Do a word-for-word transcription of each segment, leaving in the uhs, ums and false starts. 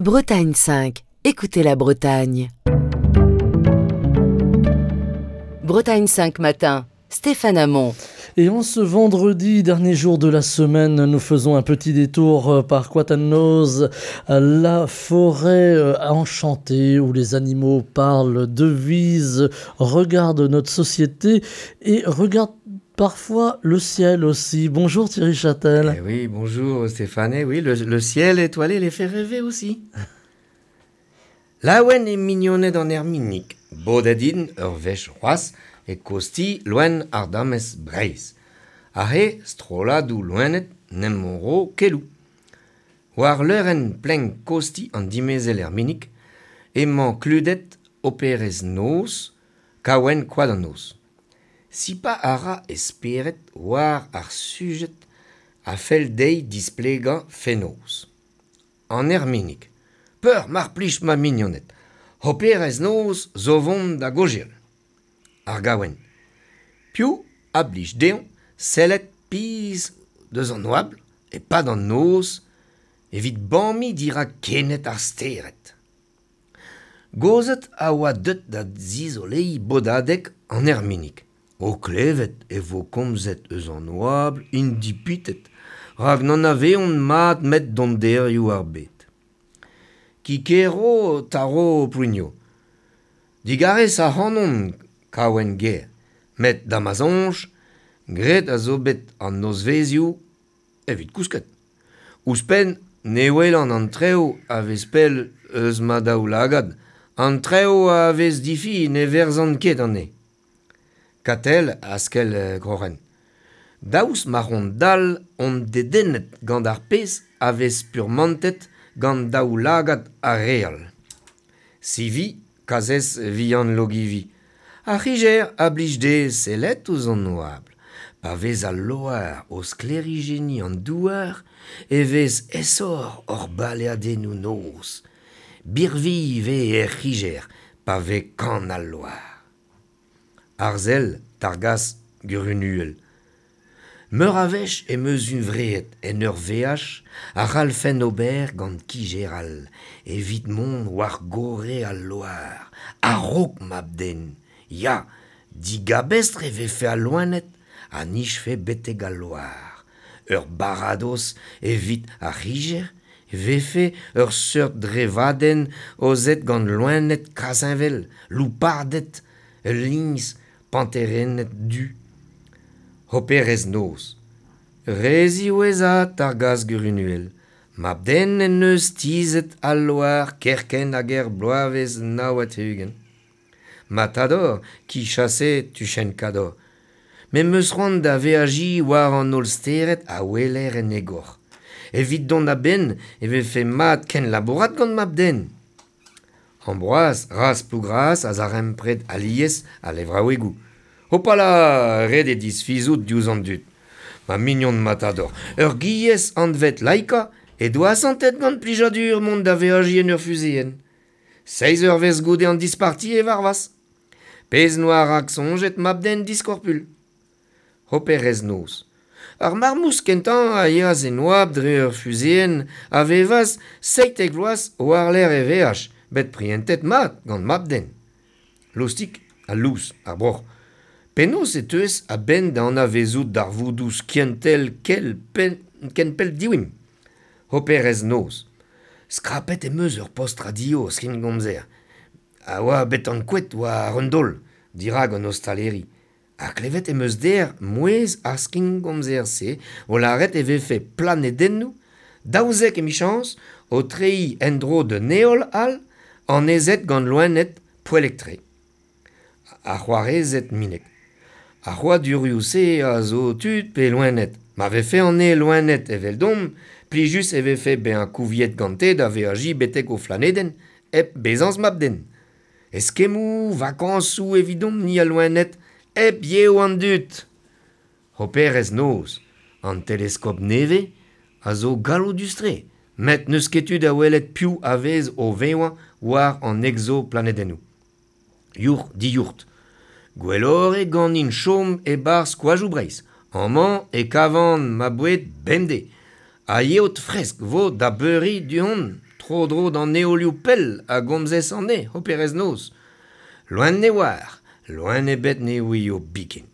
Bretagne cinq, écoutez la Bretagne. Bretagne cinq matin, Stéphane Hamon. Et en ce vendredi, dernier jour de la semaine, nous faisons un petit détour par Koad an Noz, la forêt enchantée où les animaux parlent, devisent, regardent notre société et regardent parfois le ciel aussi. Bonjour Thierry Châtel. Eh oui, bonjour Stéphane. Eh oui, le, le ciel étoilé les fait rêver aussi. Laouen eo mignoned an erminig, bodet int ur wech c'hoazh e kozhti loen ardamez Breizh. Aze strolladoù loened 'n em ro keloù. War leurenn plenk kozhti an dimezell Erminig emañ kludet hoperez noz, Kaouenn Koad an Noz. Sipañ a ra e spered war ar sujed a fell dezhi displegañ fenoz. An Erminig. Peur mar plij ma mignoned. Hoperez noz zo vont da gaozeal. Ar gaouenn. Piv a blij dezhañ sellet pizh deus an oabl e-pad an noz evit bamiñ dirak kened ar stered. Gozed a oa deut da zizoleiñ bodadeg an Erminig. O klevet e vo komzet eus an oabl int dipitet, rak n'anavezont mat 'met donderioù ar bed. Kikero Taro Prugno. Digarez ac'hanon Kaouenn ger, met da ma soñj, graet a zo bet an nozvezhioù evit kousket. Ouzhpenn ne welan an traoù a vez pell eus ma daoulagad, an traoù a vez difi ne verzan ket anezhe. Katell askell groc'hen. Daoust ma on dall on dedennet gant ar pezh a vez spurmantet gant daoulagad ar re all. Sivi, kazhez vihan Logivi. Ar c'higer a blij dezhe sellet ouzh an oabl. Pa vez al loar o sklêrijenniñ an douar e vez aesoc'h hor baleadennoù noz. Birvilh 'vez er c'higer pa vez kann al loar. Arzel, targazh, gurunuhel. Meur a wech em eus huñvreet en ur veaj a c'hallfen ober gant kijer all evit mont war gorre al loar, a-raok mab-den. Ya, digabestr e vefe al loened a nijfe betek al loar. Ur baradoz evit ar c'hijer e vefe ur seurt drevadenn aozet gant loened kazheñvel, louparded, ul liñs, panterenned du. Hoperez noz. Re ziwezhat targazh gurunuhel. Mab-den en deus tizhet al loar kerkent hag er bloavezh nav ha tri-ugent. Matador, ki chase tuchenn kador. Me 'm eus c'hoant da veajiñ war an holl stered a weler en egor. Evit dont a-benn e vefe mat kenlabourat gant mab-den. Ambroaz, razh Plougras a zarempred alies al levraouegoù. Hopala, ret eo disfizout diouzh an dud. Ma mignon Matador, ur giez anvet Laika he doa asantet gant plijadur mont da veajiñ en ur fuzeenn. Seizh eurvezh goude an disparti e varvas. Pezh 'noa raksoñjet mab-den diskorpul. Hoperez noz. Ar marmouz kentañ a yeas en oabl dre ur fuzeenn a vevas seitek vloaz war-lerc'h e veaj, bet prientet mat gant mab-den. Lostik ha lous ar broc'h. Penaos e teuez a-benn da anavezout darvoudoù skiantel kel pen, ken pell diwimp. Hoperez noz. Skrapet em eus ur post radio skingomzer. A oa bet ankouaet war un daol, dirak an ostaleri. Ha klevet em eus dec'h mouezh ar skingomzer-se o lâret e vefe planedennoù, daouzek emichañs, o treiñ en-dro d'un heol all, annezet gant loened poellek-tre. Ar c'hoarezed Minek. Ar c'hrouadurioù-se a zo tud pe loened. Ma vefe anezhe loened eveldomp, plijus e vefe bezañ kouviet gante da veajiñ betek o flanedenn, hep bezañs mab-den. Eskemmoù, vakañsoù evidomp-ni al loened, hep yev an dud. Hoperez noz, an teleskop nevez a zo galloudus-tre, met n'eus ket tu da welet piv a vez o vevañ war an egzoplanedennoù. Yourc'h diyourc'h. Gwelloc'h eo ganin chom e-barzh koajoù Breizh. Amañ e kavan ma boued bemdez. Ha yeot fresk 'vo da beuriñ du-hont Tro-dro d'an heolioù pell a gomzez anezhe, hoperez noz. Loen ne oar, loen ebet ne ouio biken.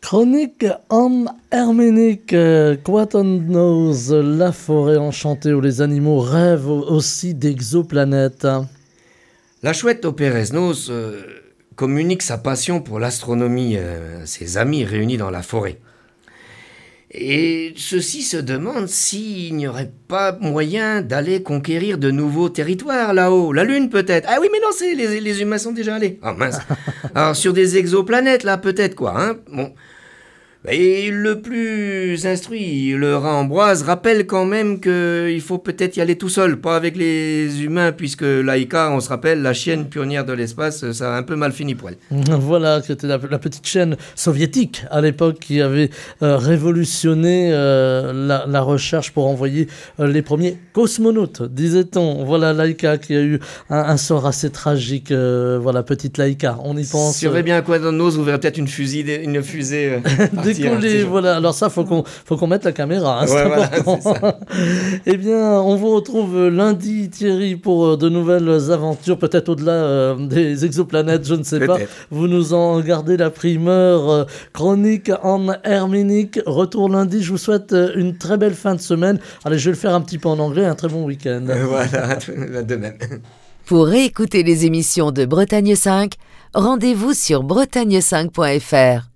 Chronique en Herménique, Koad an Noz, la forêt enchantée où les animaux rêvent aussi d'exoplanètes. La chouette hoperez noz euh, communique sa passion pour l'astronomie euh, à ses amis réunis dans la forêt. Et ceux-ci se demandent s'il n'y aurait pas moyen d'aller conquérir de nouveaux territoires là-haut. La Lune peut-être. Ah oui, mais non, c'est, les, les humains sont déjà allés. Ah mince. Alors sur des exoplanètes là peut-être quoi. Hein bon. Et le plus instruit, le rat Ambroise, rappelle quand même qu'il faut peut-être y aller tout seul, pas avec les humains, puisque Laïka, on se rappelle, la chienne pionnière de l'espace, ça a un peu mal fini pour elle. Voilà, c'était la, la petite chaîne soviétique à l'époque qui avait euh, révolutionné euh, la, la recherche pour envoyer euh, les premiers cosmonautes, disait-on. Voilà Laïka qui a eu un, un sort assez tragique. Euh, voilà, petite Laïka, on y pense. Si on bien à quoi dans nos, vous verrez peut-être une fusée, une fusée euh, décoller, voilà. Alors ça, faut qu'on faut qu'on mette la caméra, hein, c'est Ouais, voilà, important. c'est ça. Eh bien, on vous retrouve lundi, Thierry, pour de nouvelles aventures, peut-être au-delà euh, des exoplanètes, je ne sais pas. Peut-être. Vous nous en gardez la primeur. euh, Chronique en Herménique. Retour lundi. Je vous souhaite une très belle fin de semaine. Allez, je vais le faire un petit peu en anglais. Un très bon week-end. Voilà, de même. Pour réécouter les émissions de Bretagne cinq, rendez-vous sur bretagne cinq point F R.